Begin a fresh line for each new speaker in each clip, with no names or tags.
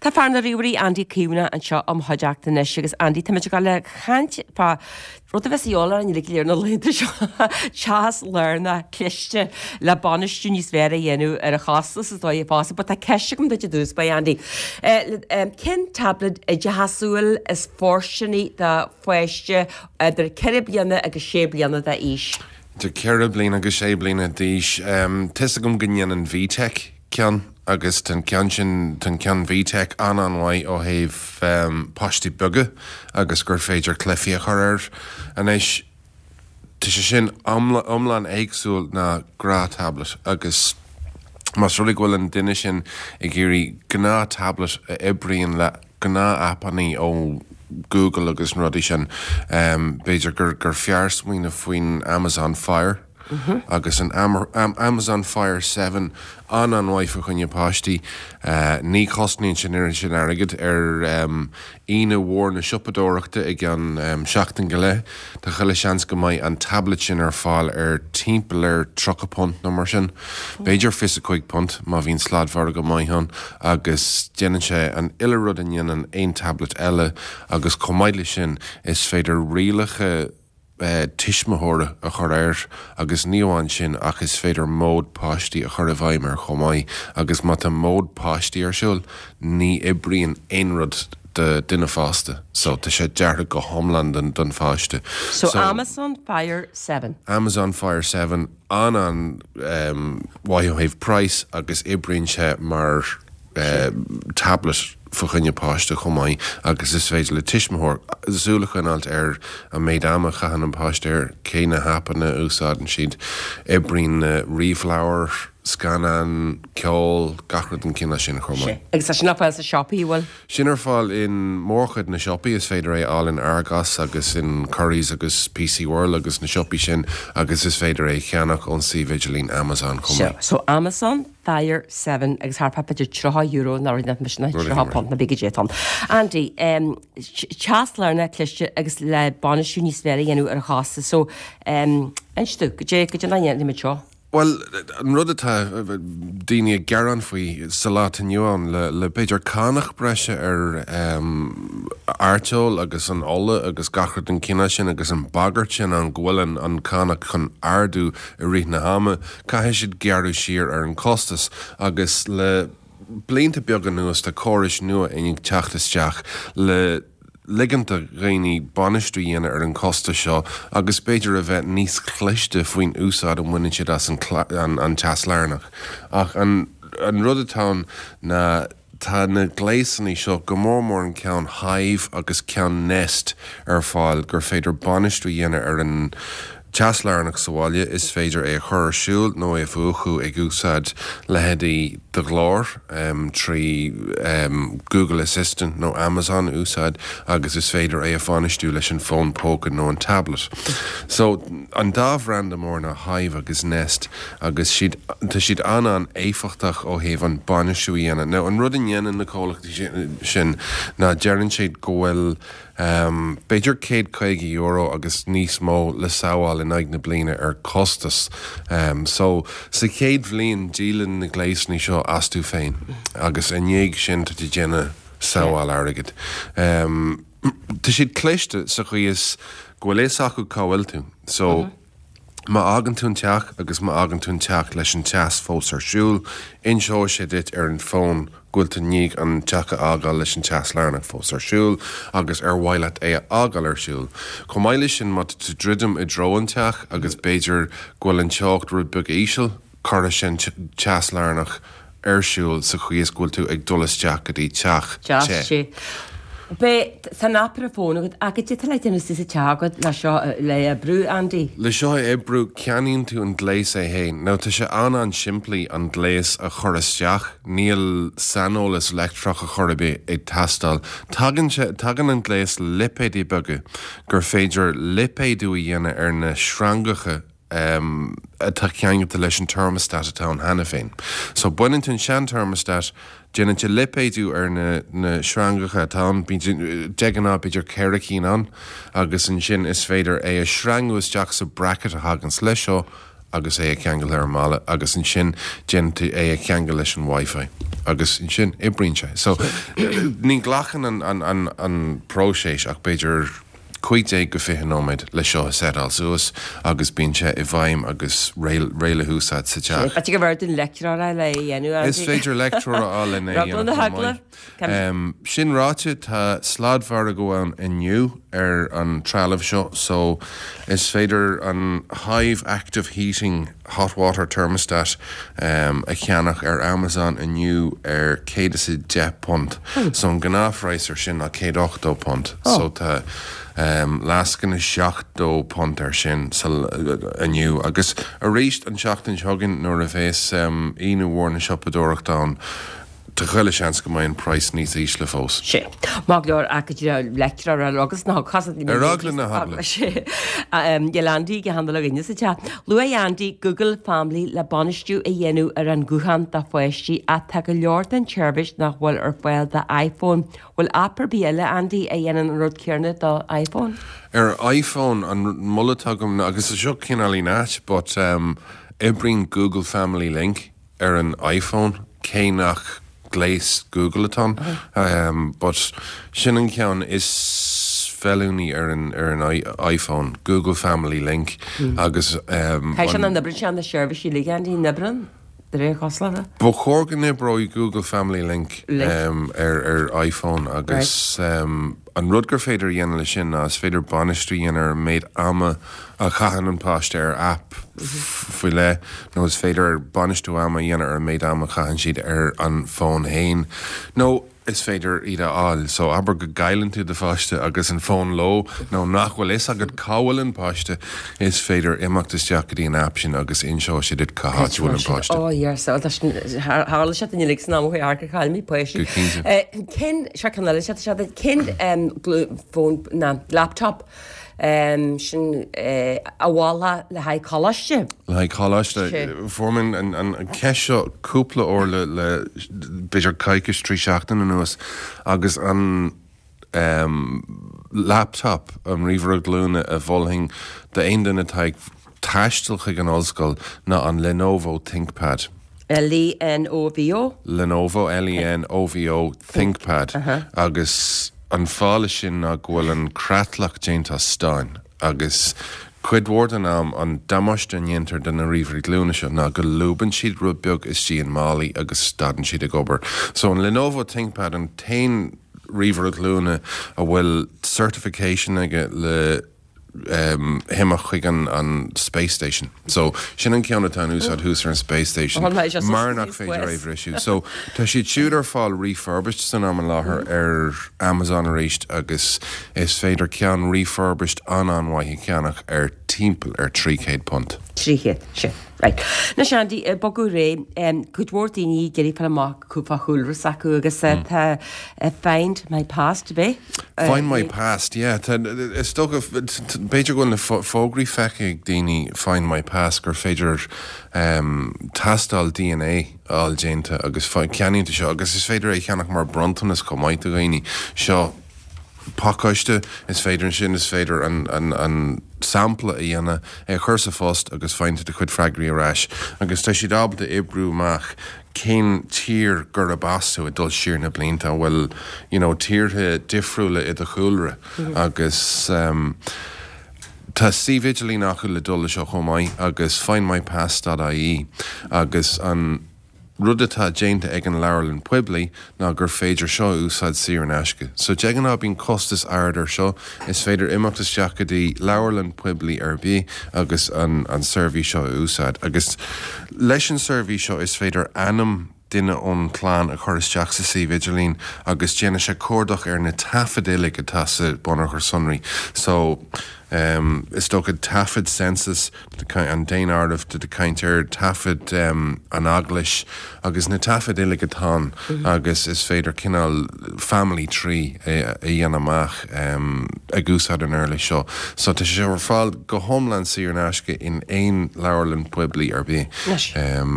Tá fear na ríomhairí Andy Caomhánach anseo im chuideachta anois agus Andy táimid ag dul a chaint fá rud a bheas a dhíobháil orainn uilig go léir na laethanta seo, teas lárnach cliste le bainistiú níos fearr a dhéanamh ar a chostas is dóigh fosta. But tá ceist agam duit i dtús báire Andy. Cén tablet oideachasúil is fóirsteanaí do pháiste idir 4 bliana agus 6 bliana d'aois?
Idir 4 bliana agus 6 bliana d'aois. Tá 'fhios agam go ndéanann VTech ceann agus tá an ceann sin, tá an ceann VTech an-an-mhaith ó thaobh páistí beaga agus gur féidir cluichí a chur air. Anois, tá sé sin iomlán éagsúil ná gnáth tablet agus más rud é go bhfuil an duine sin ag iarraidh gnáth tablet a oibríonn le gnáth aipeanna ó Google agus na rudaí sin, b'fhéidir gur gur fearr smaoineamh faoin Amazon Fire agus an Amazon Fire 7 an-an-mhaith fá choinne páistí. Ní chosnaíonn sé an oiread sin airgid ar Aoine mhór na siopadóireachta i gceann seachtain go leith. Tá chuile seans go mbeidh an tablet sin ar fáil ar timpeall ar £30 nó mar sin. B'fhéidir £25 má bhíonn sladmhargadh maith ann agus déanann sé an uile rud a ndéanann aon tablet eile agus chomh maith leis sin is féidir rialacha tuismitheora a chur air agus ní amháin sin ach is féidir mód páistí a chur i bhfeidhm air chomh maith agus má tá mód páistí ar siúl ní oibríonn aon rud do duine fásta so tá sé deartha go hiomlán don don pháiste.
So Amazon Fire 7.
Amazon Fire 7 an-an mhaith ó thaobh price agus oibríonn sé mar tablet fá choinne páiste chomh maith agus is féidir le tuismitheoir súil a choinneáilt ar an méid ama a chaitheann an páiste air, cé na haipeanna a úsáideann siad, oibríonn na ríomhleabhair, scannáin, ceol, gach rud den chineál sin chomh maith.
Agus tá sin ar fáil sna siopaí, an bhfuil?
Sin ar fáil in mórchuid na siopaí, is féidir é a fháil in Argos agus in Currys agus PC World agus na siopaí sin agus is féidir é a cheannach ón suíomh idirlín Amazon chomh maith.
So Amazon Fire 7 agus thart fá b'fhéidir €30 nó rud mar sin, £30 nó b'fhéidir goidé atá ann. Andy, teas lárnach cliste agus le bainistiú níos fearr a dhéanamh ar a chostas so inis domh, goidé, goidé mar a dhéanaimid seo?
Bhuel, an rud atá daoine ag gearán faoi sa lá atá inniu ann, le b'fhéidir cánach breise ar arteoil agus an ola agus gach rud den chineál sin agus an bagairt sin ann go bhfuil an cánach chun ardú i rith na hama, caithfidh siad gearradh siar ar an costas agus le blianta beaga anuas tá córais nua i ndiaidh teacht isteach le ligint do dhaoine bainistiú a dhéanamh ar an chostas seo agus b'fhéidir a bheith níos cliste faoin úsáid a bhaineann siad as an teas lárnach. Ach an rud atá ann ná tá na gléasanna seo, go mór mór an ceann Hive agus ceann Nest ar fáil gur féidir bainistiú a dhéanamh ar an teas lárnach sa bhaile, is féidir é a chur ar siúl nó é a mhúchadh ag úsáid leithéidí do ghlór trí Google Assistant nó Amazon a úsáid agus is féidir é a bhainistiú leis an bhfón póca nó an tablet. So, an dá bhranda mór ná Hive agus Nest agus siad, tá siad an-an-éifeachtach ó thaobh an bainistiú a dhéanamh. Now, an rud a ndéanann na comhlachtaí sin ná deireann siad go bhfuil B'fhéidir €150 agus níos mó le sábháil in aghaidh na bliana ar costas. So, sa chéad bhliain díolann na gléasanna seo astu féin agus i ndiaidh sin tá tú ag déanamh sábháil airgid. Tá siad cliste sa chaoi is go bhfuil fhios acu cá bhfuil tú. So, Má fhágann tú an teach agus má fhágann tú an teach leis an teas fós ar siúl, inseoidh sé duit ar an bhfón go bhfuil tú i ndiaidh an teach a fhágáil leis an teas lárnach fós ar siúl agus ar mhaith leat é a fhágáil ar siúl. Chomh maith leis sin, má tá tú ag druidim i dtreo an teach agus b'fhéidir go bhfuil an teocht rud beag íseal, cuirfidh sé an teas lárnach ar siúl sa chaoi is go bhfuil tú ag dul isteach go dtí teach te.
Te. Beidh, tá an aip ar an bhfón agat ach goidé atá le déanamh sa teach agat le seo le oibriú, Andy?
Le seo a oibriú, ceannaíonn tú an gléas é fhéin. Now tá sé an-an-simplí an gléas a chur isteach, níl saineolas leictreach ar chor ar bith ag teastáil. Tagann sé, tagann an gléas le lipéidí beaga gur féidir lipéadú a dhéanamh ar na sreangacha atá ceangailte leis an thermostat atá ann cheana féin. So baineann tú an sean-thermostat, déanann tú lipéadú ar na na sreangacha atá ann, bíonn de ghnáth b'fhéidir 4 cinn ann, agus ansin is féidir é a shreangú isteach sa bracket a thaganns leis seo. agus é a cheangal ar an mballa agus ansin déanann tú é a cheangal leis an Wi-Fi agus ansin oibríonn sé. So ní ghlacann an, an, an, an próiseas ach b'fhéidir 15 go 20 nóiméad le seo a seiteáil suas agus bíonn sé i bhfeidhm agus réidh, réidh le húsáid sa teach.
B'fhéidir gurbh fhearr dúinn leictreoir a fháil le é a dhéanamh,
Is féidir leictreoir a fháil lena
é a dhéanamh chomh maith.
Sin ráite, tá sladmhargadh ann inniu ar an trealamh seo so is féidir an Hive Active Heating Hot Water Thermostat a cheannach ar Amazon inniu ar £110. So an gnáthphraghas ar sin ná £180. So tá lascaine £70 ar sin inniu. Agus arís an tseachtain seo chugainn nuair a bhéas Aoine Mhór na Siopadóireachta ann, Tá chuile sheans go mbeidh an praghas níos ísle fós.
Sea. Maith go leor ach go dtí leictreoir ar agus ná
casadh Ar eagla na heagla.
Sea. Níl Andy ag handle againne sa teach. Luaigh Andy Google Family le bainistiú a dhéanamh ar an ghuthán do pháistí ach tá go leor den tseirbhís nach bhfuil ar fáil do iPhone. Bhfuil aip ar bith eile, Andy, a dhéanann an rud céanna do iPhone?
Ar iPhone, an moladh atá agam ná, agus seo cineáilín ait, but oibríonn Google Family Link. ar an iPhone, cé nach gléas Google atá ann, but sin an ceann is feiliúnaí ar an ar an iPhone, Google Family Link agus
an. Caithfidh sé nach n-oibríonn sé na seirbhísí uilig, Andy, an oibríonn? De réir cosúlachta.
Ba chóir go n-oibreoidh Google Family Link ar ar iPhone agus an rud gur féidir a dhéanamh leis sin ná is féidir bainistiú a dhéanamh ar an méid ama a chaitheann an páiste ar aip faoi leith nó is féidir bainistiú ama a dhéanamh ar an méid ama a chaitheann siad ar an bhfón féin nó is féidir iad a fháil. So abair go gcailleann tú do pháiste agus an fón leo nó nach bhfuil fhios agat cá bhfuil an páiste, is féidir imeacht isteach go dtí an aip sin agus inseoidh sé duit cá háit a bhfuil an páiste.
Oh yes, oh, tá sin, tharla sé duine uilig san am ó chuaigh gur chaill mé páistí.
Go cinnte.
Cén, seo ceann eile, seo, seo, cén fón, ná laptop Sin a mholfá le haghaidh coláiste.
Le haghaidh coláiste. Fuair mé an cheist seo cúpla uair le b'fhéidir coicís, 3 seachtain anuas agus an laptop, an ríomhaire glúine a mholfainn d'aon duine atá ag taisteal chuig an ollscoil ná an Lenovo ThinkPad.
L-E-N-O-V-O?
Lenovo, L-E-N-O-V-O, ThinkPad. Agus an fáth leis sin ná go bhfuil an creatlach déanta as stáin agus cuid mhór den am an damáiste a ndéantar do na ríomhairí glúine seo ná go lúbann siad rud beag istigh i málaí agus stadann siad ag obair. So an Lenovo ThinkPad an t-aon ríomhaire glúine a bhfuil certification aige le himeacht chuig an Space Station. So, sin an ceann atá in úsáid thuas ar an Space Station mar nach féidir é a bhriseadh. So, tá siad siúd ar fáil refurbished san am i láthair ar Amazon arís agus is féidir ceann refurbished an-an-mhaith a cheannach ar timpeall ar £300.
300, sin. Right. Anois Andy, ag bogadh ar aghaidh, cuid mhór daoine ag iarraidh fáil amach fá chúlra s'acu agus tá Find My Past, ab é?
Find My Past, yeah. Tá, is dócha, b'fhéidir go bhfuil na fógraí feicthe ag daoine Find My Past gur féidir tástáil DNA a fháil déanta agus ceannaíonn tú seo agus is féidir é a cheannach mar bronntanas chomh maith do dhaoine. Seo. pacáiste, is féidir ansin, is féidir an sampla a dhéanamh, é a chur sa phost agus faigheann tú do chuid freagraí ar ais agus tá siad ábalta oibriú amach cén tír gurab as tú ag dul siar na blianta, an bhfuil you know tíortha difriúla i do chúlra agus tá suíomh idirlín acu le dul le seo chomh maith agus findmypast dot ie agus an rud atá déanta ag an leabharlann poiblí ná gur féidir seo a úsáid saor in aisce. So de ghnáth bíonn costas ard ar seo, is féidir imeacht isteach go dtí leabharlann poiblí ar bith agus an an seirbhís seo a úsáid. Agus leis an seirbhís seo is féidir ainm duine ón chlann a chur isteach sa suíomh idirlín agus déanfaidh sé cuardach ar na taifid uilig atá sa bunachar sonraí. So is dócha taifead census an daonáireamh tá tú ag caint ar taifead an eaglais agus na taifid uilig atá ann agus is féidir cineál family tree a dhéanamh amach ag úsáid an uirlis seo. So tá sé ar fáil go hiomlán saor in aisce in aon leabharlann poiblí ar bith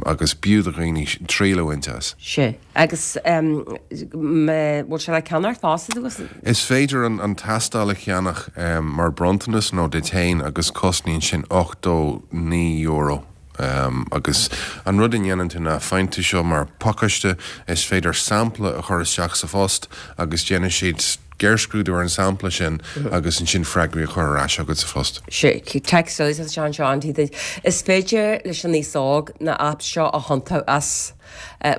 agus b'fhiú do dhaoine triail a bhaint as.
Sea. Agus bhfuil sé le ceannacht fosta agus.
Is féidir an tástáil a cheannach mar bronntanas nó duit féin agus cosnaíonn sin €89. Agus an rud a ndéanann tú ná faigheann tú seo mar phacáiste, is féidir sampla a chur isteach sa phost agus déanfaidh siad géarscrúdú ar an sampla sin agus ansin freagraí a chur ar ais agat sa phost.
Sea, text eile atá anseo, Andy, is féidir leis an aos óg na apps seo a thiontú as,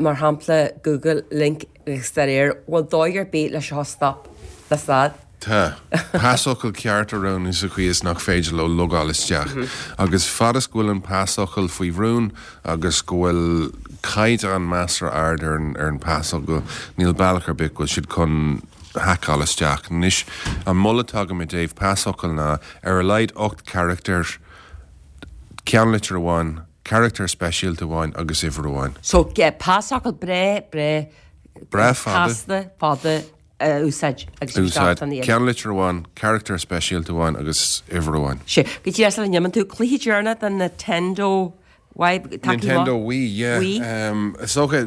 mar shampla Google, Link agus dá réir, bhfuil dóigh ar bith le seo a stop, le stad?
Tá. Pasfhocal ceart a roghnú sa chaoi is nach féidir leo logáil isteach. Agus fad is go bhfuil an pasfhocal faoi rún agus go bhfuil caighdeán measartha ard ar an pasfhocal, níl bealach ar bith go bhfuil siad chun haiceáil isteach. Anois, an moladh atá agam i dtaobh pasfhocal ná ar a laghad 8 carachtar, ceannlitir amháin, carachtar speisialta amháin agus uimhir amháin.
So, pasfhocal breá, breá,
breá fada,
casta, fada. a úsáid
agus bhí gach duine iad. Ceannlitir amháin, carachtar speisialta amháin agus uimhir amháin.
Sea. Go díreach sula n-imíonn tú, cluiche deireanach den Nintendo Wii,
tacaí Nintendo Wii, yeah. Wii. Is dócha,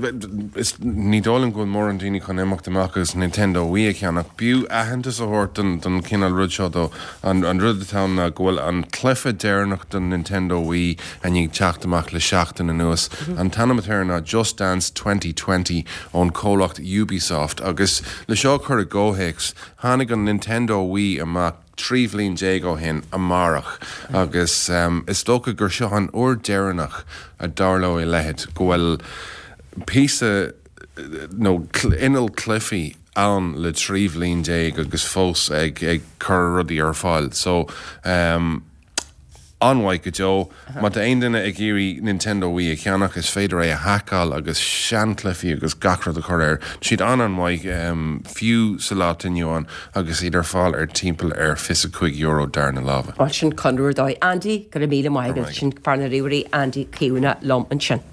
is, ní dóigh liom go bhfuil mórán daoine chun imeacht amach agus Nintendo Wii a cheannach. B'fhiú aitheantas a thabhairt don, don chineál rud seo though. An, an rud atá ann ná go bhfuil an cluiche deireanach don Nintendo Wii i ndiaidh teacht amach le seachtain anuas. An t-ainm atá air ná Just Dance 2020 ón chomhlacht Ubisoft agus le seo a chur i gcomhthéacs, tháinig an Nintendo Wii amach 13 bhliain ó shin amárach agus is dócha gur seo an uair deireanach a dtarlóidh a leithéid, go bhfuil píosa nó inneall cluichí ann le 13 bhliain agus fós ag cur rudaí ar fáil. So. An-mhaith go deo. Má tá aon duine ag iarraidh Nintendo Wii a cheannach, is féidir é a haiceáil agus seanchluichí agus gach rud a chur air. Tá siad an-an-mhaith, fiú sa lá atá inniu ann, agus iad ar fáil ar timpeall ar €25 dara na láimhe.
Bhuel, sin conradh ar dóigh. Andy, go raibh míle maith agat. Sin fear na ríomhairí, Andy Caomhánach liom ansin.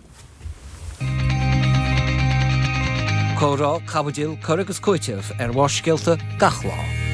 Comhrá, caibidil, cur agus cúiteamh ar Bharrscéalta gach lá.